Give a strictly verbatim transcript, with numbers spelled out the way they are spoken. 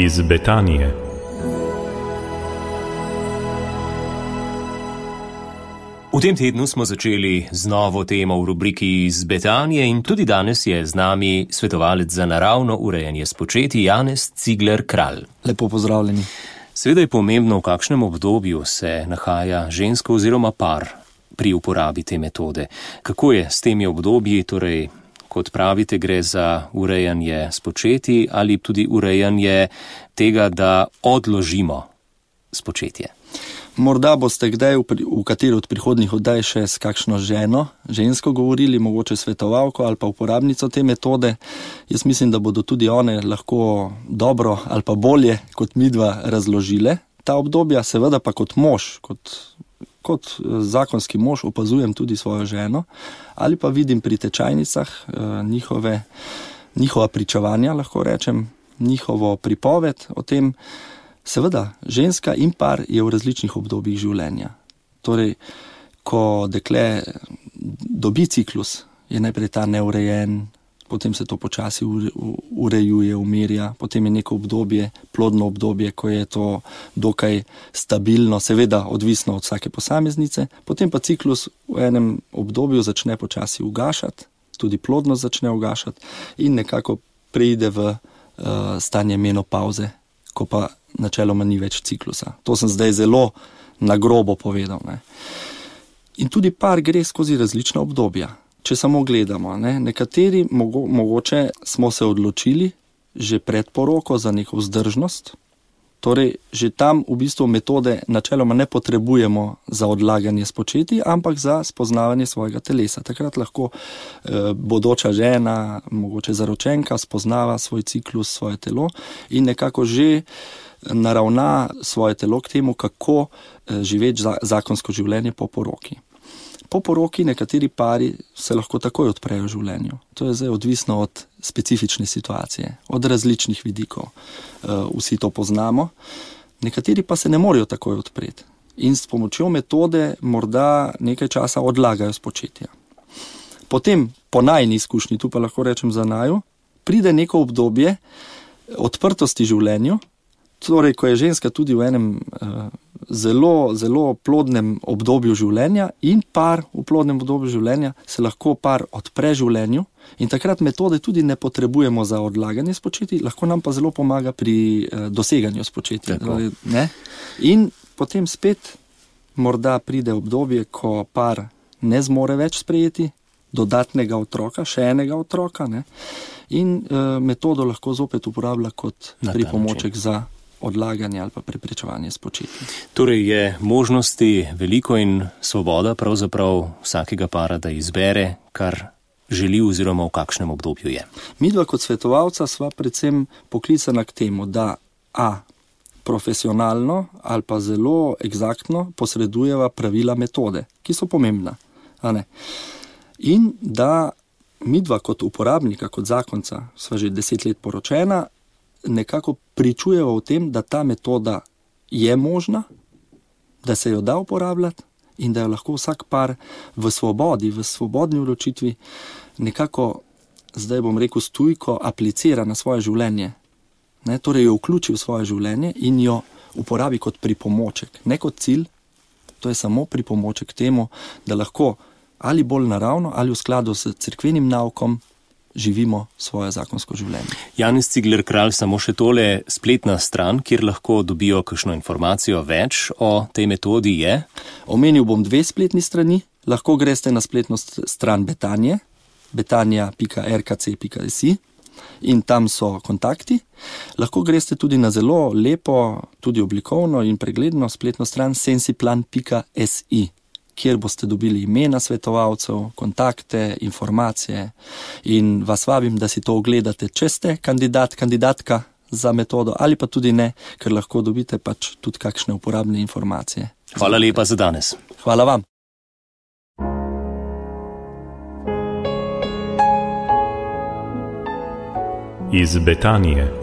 Iz Betanije. V tem tednu smo začeli z novo temo v rubriki Iz Betanije in tudi danes je z nami svetovalec za naravno urejanje spočetij Janez Cigler Kralj. Lepo pozdravljeni. Seveda je pomembno, v kakšnem obdobju se nahaja ženska oziroma par pri uporabi te metode. Kako je s temi obdobji, torej, kot pravite, gre za urejanje spočetij ali tudi urejanje tega, da odložimo spočetje? Morda boste kdaj v, v kateri od prihodnjih oddaj še s kakšno ženo, žensko govorili, mogoče svetovalko ali pa uporabnico te metode. Jaz mislim, da bodo tudi one lahko dobro ali pa bolje kot midva razložile ta obdobja. Seveda pa kot mož, kot, kot zakonski mož opazujem tudi svojo ženo ali pa vidim pri tečajnicah eh, njihove, njihova pričevanja, lahko rečem, njihovo pripoved o tem. Seveda, ženska in par je v različnih obdobjih življenja. Torej, ko dekle dobi ciklus, je najprej ta neurejen, potem se to počasi urejuje, umirja, potem je neko obdobje, plodno obdobje, ko je to dokaj stabilno, seveda odvisno od vsake posameznice, potem pa ciklus v enem obdobju začne počasi ugašati, tudi plodnost začne ugašati in nekako preide v uh, stanje menopavze, ko pa načeloma ni več ciklusa. To sem zdaj zelo na grobo povedal. Ne. In tudi par gre skozi različna obdobja. Če samo gledamo, ne. Nekateri mogo, mogoče smo se odločili že pred poroko za neko vzdržnost, torej že tam v bistvu metode načeloma ne potrebujemo za odlaganje spočetij, ampak za spoznavanje svojega telesa. Takrat lahko eh, bodoča žena, mogoče zaročenka, spoznava svoj ciklus, svoje telo in nekako že naravna svoje telo k temu, kako živeti zakonsko življenje po poroki. Po poroki nekateri pari se lahko takoj odprejo v življenju. To je zdaj odvisno od specifične situacije, od različnih vidikov. Vsi to poznamo. Nekateri pa se ne morejo takoj odpreti in s pomočjo metode morda nekaj časa odlagajo spočetja. Potem, po najni izkušnji, tu pa lahko rečem za naju, pride neko obdobje odprtosti življenju. Torej, ko je ženska tudi v enem uh, zelo, zelo plodnem obdobju življenja in par v plodnem obdobju življenja, se lahko par odpre življenju in takrat metode tudi ne potrebujemo za odlaganje spočetij, lahko nam pa zelo pomaga pri uh, doseganju spočetij. Torej, ne? In potem spet morda pride obdobje, ko par ne zmore več sprejeti dodatnega otroka, še enega otroka, ne? In uh, metodo lahko zopet uporablja kot pripomoček za odlaganje ali pa preprečevanje spočetij. Torej je možnosti veliko in svoboda pravzaprav vsakega para, da izbere, kar želi oziroma v kakšnem obdobju je. Midva kot svetovalca sva predvsem poklicana k temu, da a. profesionalno ali pa zelo eksaktno posredujeva pravila metode, ki so pomembna. A ne? In da midva kot uporabnika, kot zakonca, sva že deset let poročena, nekako pričujeva v tem, da ta metoda je možna, da se jo da uporabljati in da jo lahko vsak par v svobodi, v svobodni odločitvi nekako, zdaj bom rekel, stujko aplicira na svoje življenje. Ne, torej jo vključi v svoje življenje in jo uporabi kot pripomoček. Ne kot cilj, to je samo pripomoček k temu, da lahko ali bolj naravno ali v skladu s cerkvenim naukom živimo svoje zakonsko življenje. Janez Cigler Kralj, samo še tole, spletna stran, kjer lahko dobijo kakšno informacijo več o tej metodi, je? Omenil bom dve spletni strani. Lahko greste na spletno stran Betanije, betanija pika r k c pika s i in tam so kontakti. Lahko greste tudi na zelo lepo, tudi oblikovno in pregledno spletno stran sensiplan pika s i, kjer boste dobili imena svetovalcev, kontakte, informacije in vas vabim, da si to ogledate, če ste kandidat, kandidatka za metodo ali pa tudi ne, ker lahko dobite pač tudi kakšne uporabne informacije. Hvala lepa za danes. Hvala vam. Iz Betanije.